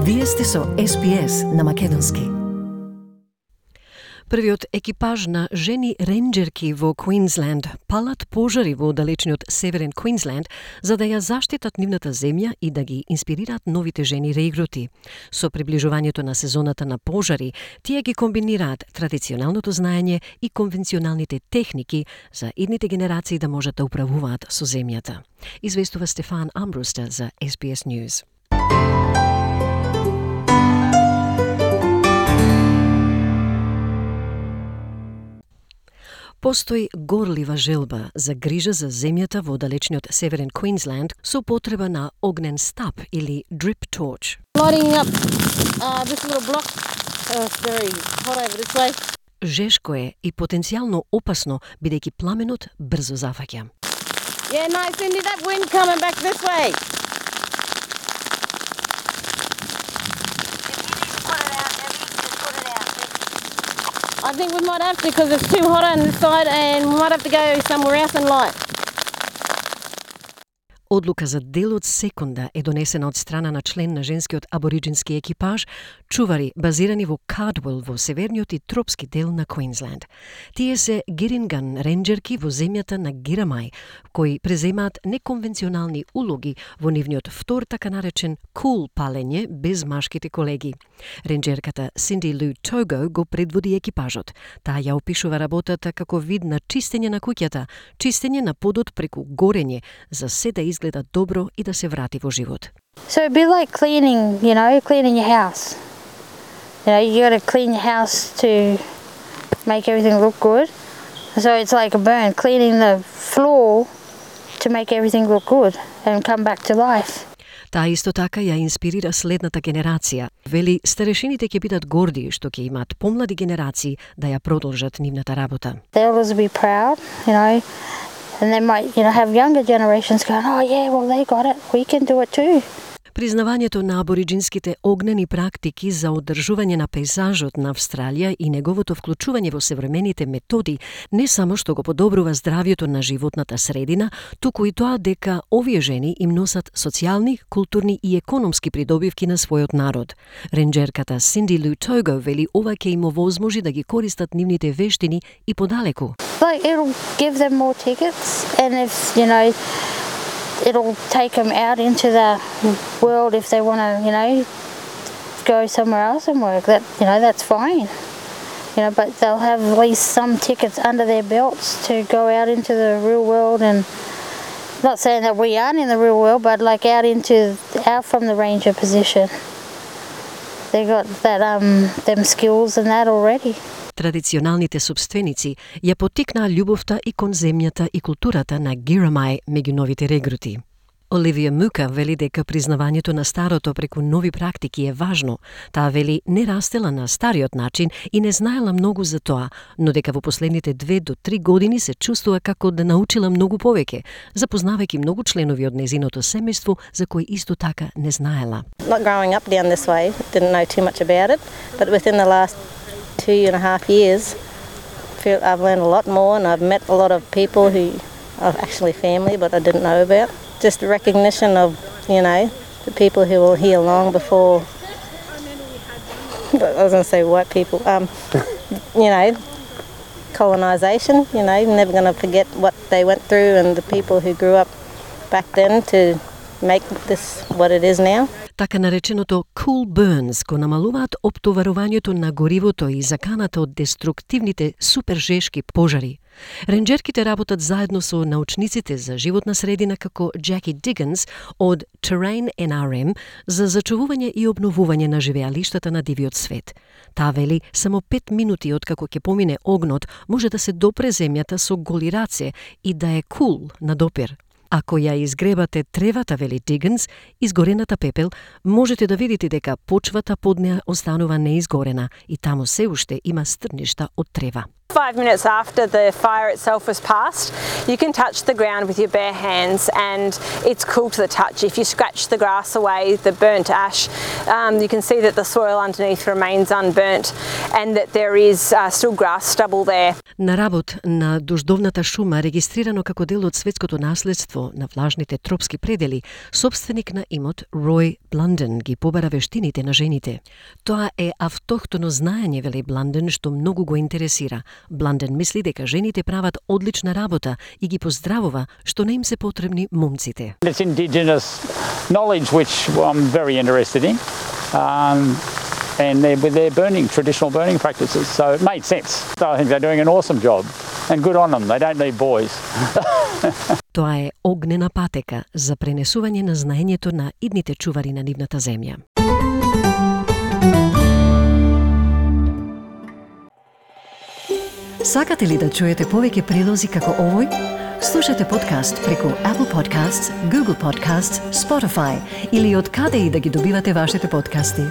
Вие сте со SPS на македонски. Првиот екипаж на жени ренџерки во Квинсленд палат пожари во далечниот северен Квинсленд за да ја заштитат нивната земја и да ги инспирираат новите жени регрути. Со приближувањето на сезоната на пожари, тие ги комбинираат традиционалното знаење и конвенционалните техники за идните генерации да можат да управуваат со земјата. Известува Стефан Амбруста за SBS News. Постои горлива желба за грижа за земјата во далечниот северен Квинсленд со потреба на огнен стап или drip torch. Lighting up this little block. It's very hot over this way. Жешко е и потенцијално опасно бидејќи пламенот брзо зафаќа. Yeah, no, Cindy, that wind coming back this way. I think we might have to because it's too hot on this side and we might have to go somewhere else and light. Одлука за дел од секунда е донесена од страна на член на женскиот абориджински екипаж, чувари базирани во Cardwell во северниот и тропски дел на Квинсленд. Тие се Гиринган ренџерки во земјата на Гирамај, кои преземаат неконвенционални улоги во нивниот втор така наречен cool палење без машките колеги. Ренџерката Cindy Lou Togo го предводи екипажот. Таа ја опишува работата како вид на чистење на куќата, чистење на подот преку горење, за се да изгледа добро и да се врати во живот. So it'd be like cleaning, cleaning your house. You got to clean your house to make everything look good. So it's like a burn, cleaning the floor to make everything look good and come back to life. Таа исто така ја инспирира следната генерација. Вели, старешините ќе бидат горди што ќе имаат помлади генерации да ја продолжат нивната работа. The elders will be proud, and they might, have younger generations going, oh yeah, well they got it, we can do it too. Признавањето на абориджинските огнени практики за одржување на пейзажот на Австралија и неговото вклучување во современите методи не само што го подобрува здравјето на животната средина, туку и тоа дека овие жени им носат социјални, културни и економски придобивки на својот народ. Ренџерката Cindy Lou Togo вели ова ќе им овозможи да ги користат нивните вештини и подалеку. Like it'll give them more tickets, and if it'll take them out into the world if they want to, go somewhere else and work. That's fine. But they'll have at least some tickets under their belts to go out into the real world, and not saying that we aren't in the real world, but like out from the ranger position. They got that them skills and that already. Традиционалните собственици ја поттикнаа љубовта и кон земјата и културата на Гирамај меѓу новите регрути. Оливија Мука вели дека признавањето на старото преку нови практики е важно. Таа вели не растела на стариот начин и не знаела многу за тоа, но дека во последните 2 до 3 години се чувствува како да научила многу повеќе, запознавајќи многу членови од незиното семејство за кои исто така не знаела. Not growing up down this way, didn't know too much about it, but within the last 2.5 years, I've learned a lot more, and I've met a lot of people who are actually family, but I didn't know about. Just the recognition of, the people who were here long before. I was going to say white people. Colonisation. Never going to forget what they went through and the people who grew up back then to make this what it is now. Така нареченото cool burns го намалуваат оптоварувањето на горивото и заканата од деструктивните супержешки пожари. Ренџерките работат заедно со научниците за животна средина како Jackie Diggins од Terrain NRM за зачувување и обновување на живеалиштата на дивиот свет. Таа вели само 5 минути откако ќе помине огнот може да се допре земјата со голи раце и да е cool на допир. Ако ја изгребате тревата, вели Дигинс, изгорената пепел, можете да видите дека почвата под неа останува неизгорена и таму се уште има стрништа од трева. 5 minutes after the fire itself was passed, you can touch the ground with your bare hands and it's cool to the touch. If you scratch the grass away, the burnt ash, you can see that the soil underneath remains unburnt and that there is still grass stubble there. На работ на дождовната шума, регистрирано како дел од светското наследство на влажните тропски предели, собственик на имот Рој Бланден ги побара вештините на жените. Тоа е автохтоно знаење, вели Бланден, што многу го интересира. Бланден мисли дека жените прават одлична работа и ги поздравува што не им се потребни момците. It's indigenous knowledge which I'm very interested in. And they're burning, traditional burning practices, so it made sense. So I think they're doing an awesome job, and good on them. They don't need boys. Тоа е огнена патека за пренесување на знаењето на идните чувари на нивната земја. Сакате ли да чуете повеќе прилози како овој? Слушате подкаст преку Apple Podcasts, Google Podcasts, Spotify или од каде и да ги добивате вашите подкасти.